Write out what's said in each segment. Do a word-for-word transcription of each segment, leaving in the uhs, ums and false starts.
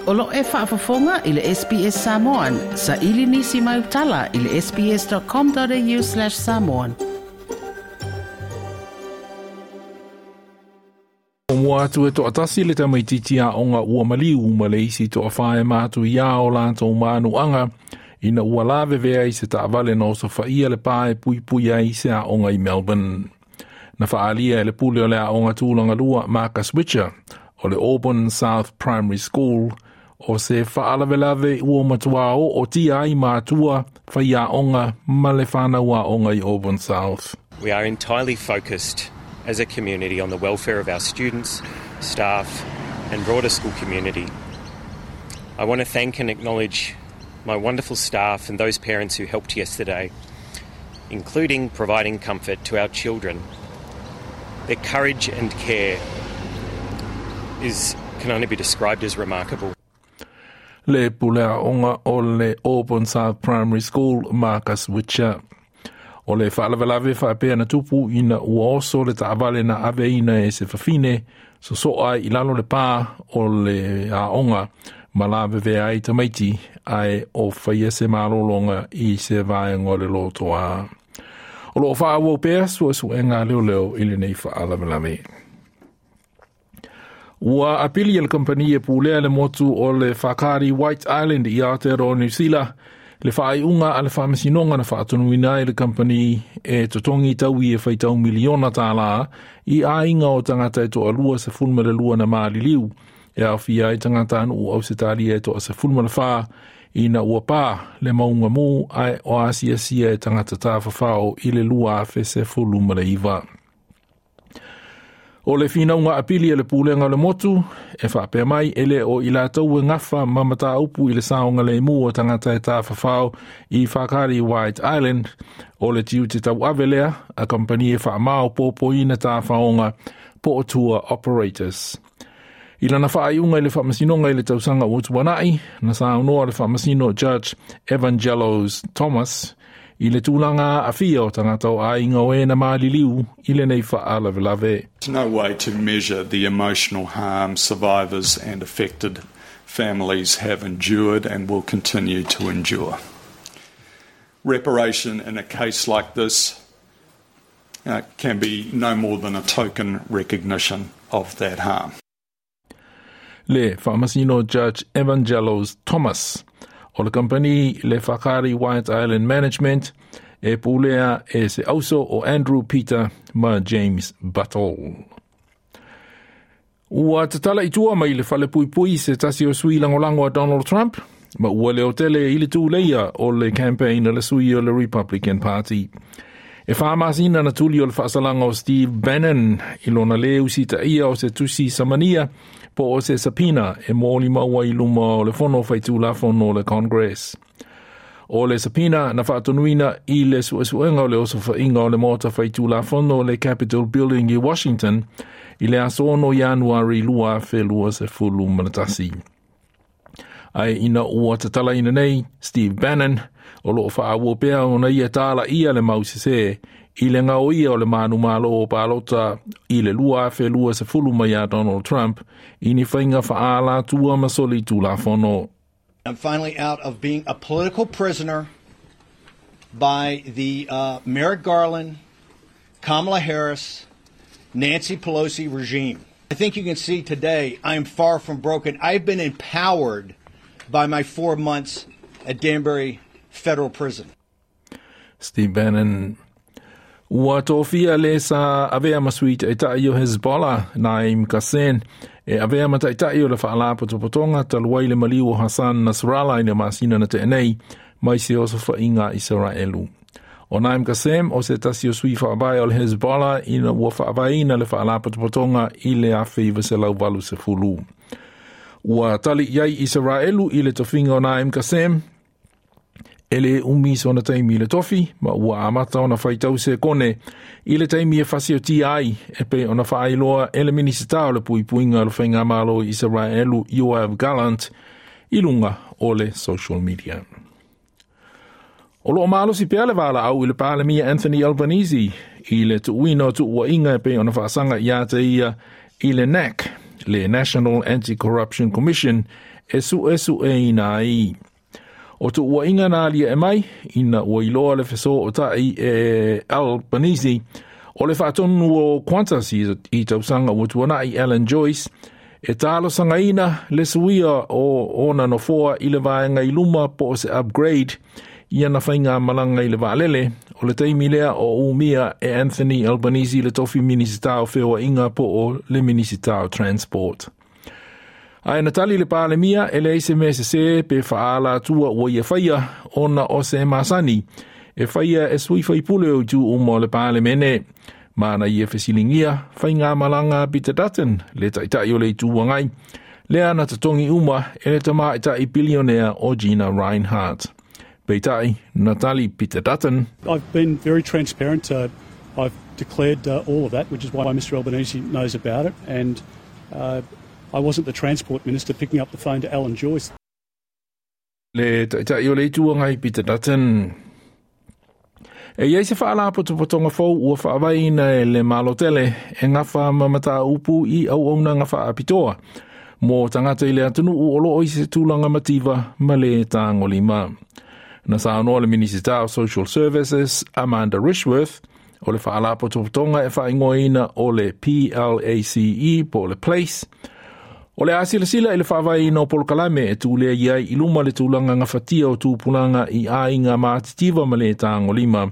O lo e faafofoga i le S B S Samoan. Sa ili nisi mai utala i le sbs.com.au slash samoan. O mua atu e toatasi le tamaititi a onga ua maliu ma le isi toa whae mātu ia o lātou manu anga ina ua lavevea i se taavale na osofaia le pae pui pui ai se a onga i Melbourne. Na whaalia e le pule o le a onga tūlanga lua Marcus Witcher o le Auburn South Primary School o se whaalavelave ua matua o o tia ai mātua whai a onga ma le whanau a onga i Auburn South. We are entirely focused as a community on the welfare of our students, staff and broader school community. I want to thank and acknowledge my wonderful staff and those parents who helped yesterday, including providing comfort to our children. Their courage and care is can only be described as remarkable. Le pulea onga o le Auburn South Primary School, Marcus Witcher. O le whaalavelave whaapea na tupu ina ua oso le taavale na aveina e se whawhine, so so ai i lalo le pā o le aonga ma laveve ai tamaiti ai o whaia se malolonga i se vaenga o le lotoa. O loo whaawau pea sua suenga leo leo i le nei whaalavelave. Ua apili e le kompani e pulea le motu o le Whakaari White Island i Aotearoa New Zealand le whaaiunga a le whaamasinonga na whaatonuina e le kompani e totongi taui e whaitau miliona tālā i āinga o tangata e toa lua se fulma le lua na maaliliu e awhia ai tangata anu o Ausetalia e toa se fulma le wha ina ua pā le maunga mū ai o asia sia e tangata tāwhawhao i le lua afe se fuluma le iwa. O le whinaunga apili e le pūlenga o le motu, e whaapea mai e le o i lātou e ngawha mamata upu i le saonga le mū o tangata e tāwhawhao i Whakaari White Island, o le tiu te tau avelea a kompani e whaamao pōpō ina tāwhaonga po tour operators. I lana whaaiunga i le whaamasinonga i le tausanga o tuanai, na saunoa le whaamasino Judge Evangelos Thomas, i le tūlanga a whia o tangata o ainga o ena maaliliu i le nei whaalavelave. There's no way to measure the emotional harm survivors and affected families have endured and will continue to endure. Reparation in a case like this uh, can be no more than a token recognition of that harm. Le whaamasino Judge Evangelos Thomas o le company le Whakaari White Island Management e pulea e se auso o Andrew Peter ma James Buttle. Ua tatala i tua mai le whale pui pui se tasi o sui langolango a Donald Trump, ma ua le hotele i le tūleia o le campaign a le sui o le Republican Party. E whaamasina na tuli o le whaasalanga o Steve Bannon i lona le usita ia o se tusi samania po o se sapina e mōli maua i luma o le fono whaitula fono le Congress. O le sapina na whaatonuina i le suesuenga o le osowhainga o le mota whaitula fono le Capitol Building i Washington i le asono Januari lua whenua se fulu manatasi. Ai ina ua tatala ina nei, Steve Bannon, o loo whaawua pea o na ia tāla ia le mausese i le ngao ia o le manu malo o palota i le lua whenua se fulu mai a Donald Trump i ni whainga whaala tua masoli tūla fono. I'm finally out of being a political prisoner by the uh, Merrick Garland, Kamala Harris, Nancy Pelosi regime. I think you can see today I am far from broken. I've been empowered by my four months at Danbury Federal Prison. Steve Bannon. Ua tōfia le sa avea masuita e tai o Hezbollah, Naim Qassem, e avea mataitai o le whaalapotopotonga taluai le maliu o Hassan Nasrallah i le masina na tēnei, mai se oso whainga Israelu. O Naim Qassem o se tasi o sui whaabai o le Hezbollah ina ua whaavaina le whaalapotopotonga i le awhi vaselau valu se fulu. Ua tali iai Israelu i le tofinga o Naim Qassem, ele umi sona taimi le tofi, ma ua amata ona whaitau se kone, i le taimi e whasi o ti ai, e pe ona whaailoa ele minisita o le puipuinga o le whainga malo Israelu Yoav Gallant, i lunga o le social media. O loo malo si pea le wala au i le palemia Anthony Albanese, i le tuuina o tuua inga e pe ona whaasanga i ate ia i le N A C, Le National Anti-Corruption Commission e suesueina ai. O tuuaiga na aliae mai ina ua iloa le fesootai e Albanese o le faatonu o Qantas i tausaga ua tuanai Alan Joyce e talosagaina le suia o ona nofoa i le vaega i luma po o se upgrade i ana faigamalaga i le vaalele o le taimi lea o umia e Anthony Albanese le tofi Minisita o Feoaiga po o le Minisita o Transport. Ae na tali le Palemia e leai se mea sesē pe faaalatua ua ia faia ona o se masani e faia e sui faipule o itu uma o le Palemene. Ma na ia fesiligia faigamalaga a Peter Dutton le taitai o le Itu Agai lea na totogi uma e le tamaitai bilionea o Gina Rinehart. Peitai na tali Peter Dutton. I've been very transparent. Uh, I've declared uh, all of that, which is why Mister Albanese knows about it. And uh, I wasn't the transport minister picking up the phone to Alan Joyce. Le taitai o le Itu Agai Peter Dutton. E iai se faalapotopotoga fou ua faavaeina e le Malotele e gafa ma mataupu i auaunaga faapitoa mo tagata i le atunuu o loo i se tulaga mativa ma le tagolima. Na saunoa le Minisita o Social Services Amanda Rishworth o le faalapotopotoga e faaigoaina o le P L A C E po o le PLACE o le a silasila i le faavaeina o polokalame e tulea i ai i luma le tulaga gafatia o tupulaga i aiga matitiva ma le tagolima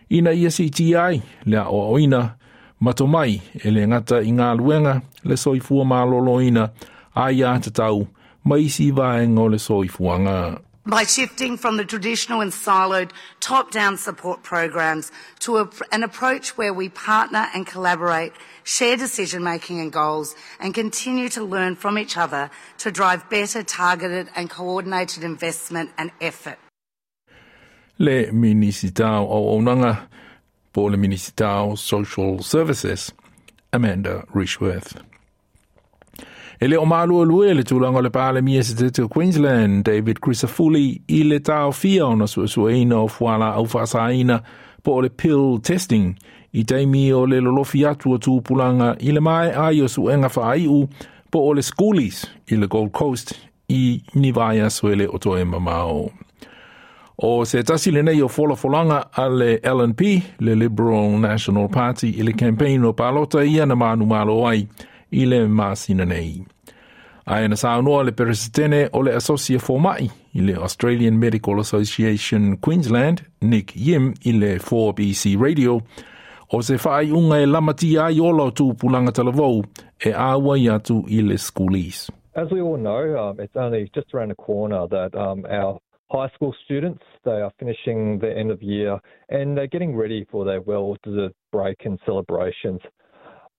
ina ia siitia ai le aoaoina ma tomai e le gata i galuega le soifua malōlōina ai tatau ma isi vaega o le soifuaga. By shifting from the traditional and siloed top-down support programs to a, an approach where we partner and collaborate, share decision-making and goals, and continue to learn from each other to drive better targeted and coordinated investment and effort. Le Minisita o Auaunaga po le Minisita o Social Services, Amanda Rishworth. E le o malualue le tulaga o le Palemia Setete o Queensland, David Crisafulli, i le taofia ona suesueina o fualaau faasaina po o le pill testing i taimi o le lolofi atu o tupulaga i le maea ai o suega faaiu po o le schoolies i le Gold Coast i ni vaiaso e le o toe mamao. O se tasi lenei o folafolaga a le L N P, le Liberal National Party, i le campaign o palota ia na manumalo ai i le masina nei. Ae na saunoa le Peresetene o le Asosia Fomai i le Australian Medical Association Queensland, Nick Yim, i le four B C Radio, o se faaiuga e lamatia ai ola o tupulaga talavou e auai atu i le schoolies. As we all know, um, it's only just around the corner that um, our high school students, they are finishing the end of year and they're getting ready for their well-deserved break and celebrations.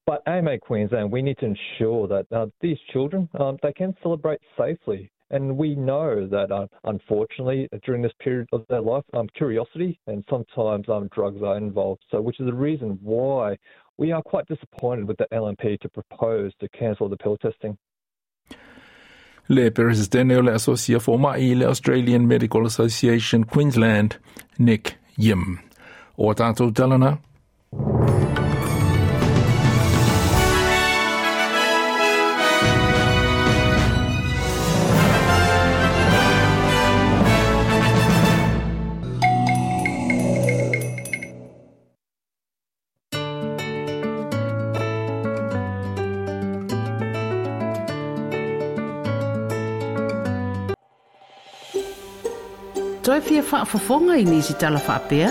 But A M A Queensland, we need to ensure that uh, these children, um, they can celebrate safely. And we know that, uh, unfortunately, during this period of their life, um, curiosity and sometimes um, drugs are involved. So, which is the reason why we are quite disappointed with the L N P to propose to cancel the pill testing. Le Presidente o le Asosia Fomai le Australian Medical Association Queensland, Nick Yim. O tātou talana. Toe fia faafofoga i nisi tala faapea?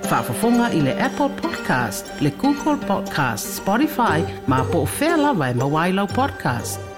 Faafofoga i le Apple Podcast, le Google Podcast, Spotify, ma po o fea lava e maua ai lau podcast.